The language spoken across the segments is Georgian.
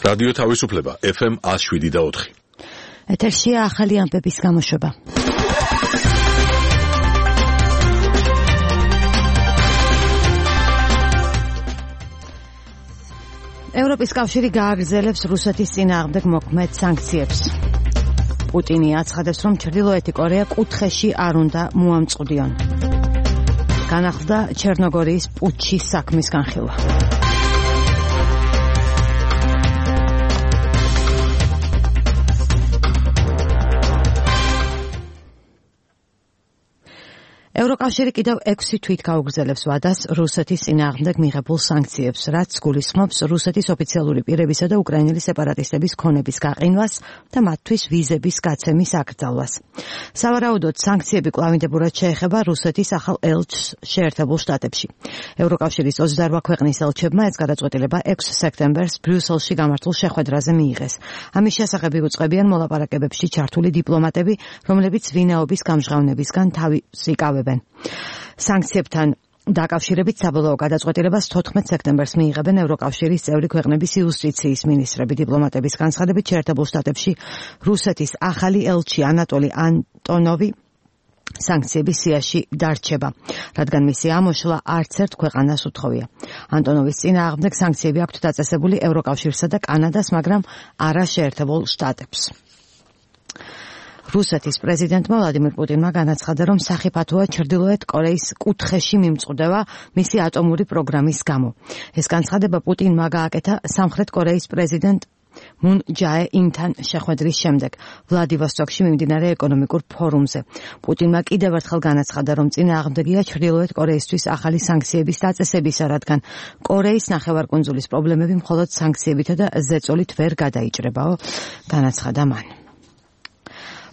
რადიო თავისუფლება FM 107.4. ეთერშია ახალი ამბების გამოშვება. ევროპის კავშირი გააგრძელებს რუსეთის წინააღმდეგ მოქმედ სანქციებს. პუტინი აცხადებს, რომ ჩრდილოეთი კორეა კუთხეში არ უნდა მოამწყდიონ. განახლდა ჩერნოგორიის პუტჩის საქმის განხილვა. ევროკავშირი კიდევ 6 თვით გაუგრძელებს ვადას რუსეთის წინააღმდეგ მიღებულ სანქციებს, რაც გულისხმობს რუსეთის ოფიციალური პირებისა და უკრაინელი სეპარატისტების ქონების გაყინვას და მათთვის ვიზების გაცემის აკრძალვას. სავარაუდოდ სანქციები კვლავინდებურად შეეხება რუსეთის ახალ ელჩს შეერთებულ შტატებში. ევროკავშირის 28 ქვეყნის ელჩებმა ეს გადაწყვეტილება 6 სექტემბერს ბრიუსელში გამართულ შეხვედრაზე მიიღეს. ამის შესახებ იუწყებიან მოლაპარაკებებში ჩართული დიპლომატები, რომლებიც ვინაობის გამჟღავნებისგან თავს იკავებენ. სანქციებთან დაკავშირებით საბოლოო გადაწყვეტილებას 14 სექტემბერს მიიღებენ ევროკავშირის წევრი ქვეყნების იუსტიციის მინისტრები. დიპლომატების განცხადებით შეერთებულ შტატებში რუსეთის ახალი ელჩი ანატოლი ანტონოვი სანქციების სიაში დარჩება, რადგან მისი ამოშლა არც ერთ ქვეყანას უთხოვია. ანტონოვის წინააღმდეგ სანქციები აქვთ დაწესებული ევროკავშირსა და კანადას, მაგრამ არა შეერთებულ შტატებს. რუსეთის პრეზიდენტმა ვლადიმირ პუტინმა განაცხადა, რომ სახიფათოა ჩრდილოეთ კორეის კუთხეში მიმწყდება მისი ატომური პროგრამის გამო. ეს განცხადება პუტინმა გააკეთა სამხრეთ კორეის პრეზიდენტ მუნ ჯაე ინთან შეხვედრის შემდეგ ვლადივოსტოკში მიმდინარე ეკონომიკურ ფორუმზე. პუტინმა კიდევ ერთხელ განაცხადა, რომ წინააღმდეგია ჩრდილოეთ კორეისთვის ახალი სანქციების დაწესებისა, რადგან კორეის ნახევარკუნძულის პრობლემები მხოლოდ სანქციებითა და ზეწოლით ვერ გადაიჭრებაო, განაცხადა მან.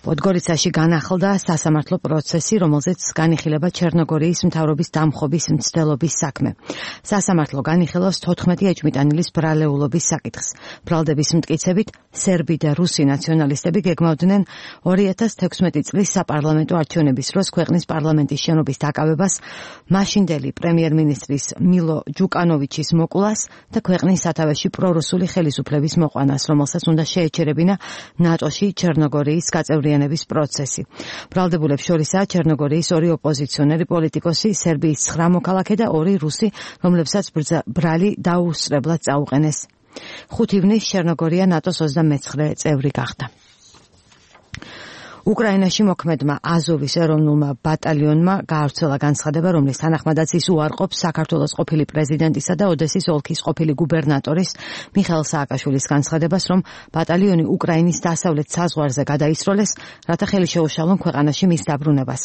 პოდგორიცაში განახლდა სასამართლო პროცესი, რომელზეც განიხილება ჩერნოგორიის მთავრობის დამხობის მცდელობის საქმე. სასამართლო განიხილავს 14 ეჭვმიტანილის ბრალეულობის საკითხს. ბრალდების მტკიცებით, სერბი და რუსი ნაციონალისტები გეგმავდნენ 2016 წლის საპარლამენტო არჩევნების დროს ქვეყნის პარლამენტის შენობის დაკავებას, მაშინდელი პრემიერ-მინისტრის მილო ჯუკანოვიჩის მოკვლას და ქვეყნის სათავეში პრორუსული ხელისუფლების მოყვანას, რომელსაც უნდა შეეჩერებინა ნატოში ჩერნოგორიის გაწევრიანების პროცესი. ბრალდებულებს შორისაა ჩერნოგორიის 2 ოპოზიციონერი პოლიტიკოსი, სერბიის 9 მოქალაქე და 2 რუსი, რომლებსაც ბრალი დაუსწრებლად წაუყენეს. 5 ივნისს ჩერნოგორია ნატოს 29 წევრი გახდა. უკრაინაში მოქმედმა აზოვის ეროვნულმა ბატალიონმა გაავრცელა განცხადება, რომლის თანახმადაც ის უარყოფს საქართველოს ყოფილი პრეზიდენტისა და ოდესის ოლქის ყოფილი გუბერნატორის მიხეილ სააკაშვილის განცხადებას, რომ ბატალიონი უკრაინის დასავლეთ საზღვარზე გადაისროლეს, რათა ხელი შეუშალონ ქვეყანაში მის დაბრუნებას.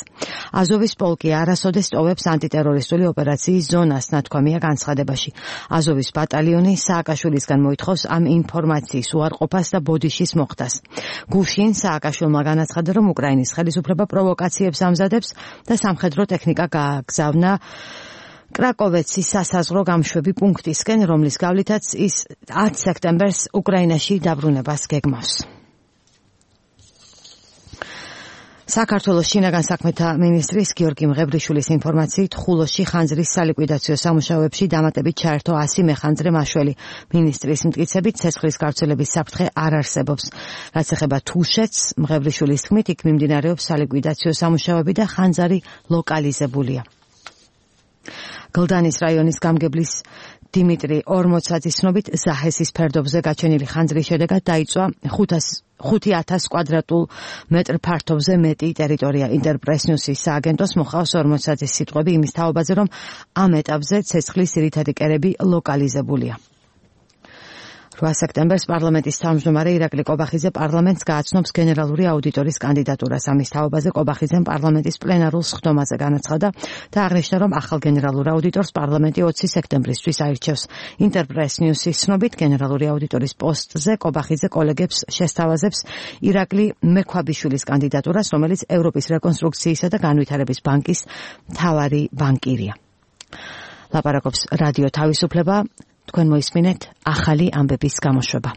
აზოვის პოლკი არასოდეს ტოვებს ანტიტერორისტული ოპერაციის ზონას, ნათქვამია განცხადებაში. აზოვის ბატალიონი სააკაშვილისგან მოითხოვს ამ ინფორმაციის უარყოფას და ბოდიშის მოხდას. გუშინ სააკაშვილმა განაცხადა, რომ უკრაინის ხელისუფლება პროვოკაციებს ამზადებს და სამხედრო ტექნიკა გააგზავნა კრაკოვეცის სასაზღვრო გამშვები პუნქტისკენ, რომლის გავლითაც ის 10 სექტემბერს უკრაინაში დაბრუნებას გეგმავს. საქართველოს შინაგან საქმეთა მინისტრის გიორგი მღებრიშვილის ინფორმაციით, ხულოში ხანძრის სალიკვიდაციო სამუშაოებში დამატებით ჩაერთო 100 მეხანძრე მაშველი. მინისტრის მტკიცებით, ცეცხლის გავრცელების საფრთხე არ არსებობს. რაც ეხება თუშეთს, მღებრიშვილის თქმით, იქ მიმდინარეობს სალიკვიდაციო სამუშაოები და ხანძარი ლოკალიზებულია. გლდანის რაიონის გამგებლის დიმიტრი ორმოცაძის ცნობით, ზაჰესის ფერდობზე გაჩენილი ხანძრის შედეგად დაიწვა 5,000 კვადრატულ მეტრ ფართობზე მეტი ტერიტორია. ინტერპრეს ნიუსის სააგენტოს მოხავს ორმოცაძის სიტყვები იმის თაობაზე, რომ ამ ეტაპზე ცეცხლის ძირითადი კერები ლოკალიზებულია. 8 სექტემბერს პარლამენტის თავმჯდომარე ირაკლი კობახიძე პარლამენტს გააცნობს გენერალური აუდიტორის კანდიდატურას. ამის თაობაზე კობახიძემ პარლამენტის პლენარულ სხდომაზე განაცხადა და აღნიშნა, რომ ახალ გენერალურ აუდიტორს პარლამენტი 20 სექტემბრისთვის აირჩევს. ინტერპრეს ნიუსის ცნობით, გენერალური აუდიტორის პოსტზე კობახიძე კოლეგებს შესთავაზებს ირაკლი მექვაბიშვილის კანდიდატურას, რომელიც ევროპის რეკონსტრუქციისა და განვითარების ბანკის მთავარი ბანკირია. ლაპარაკობს რადიო თავისუფლება. თქვენ მოისმინეთ ახალი ამბების გამოშვება.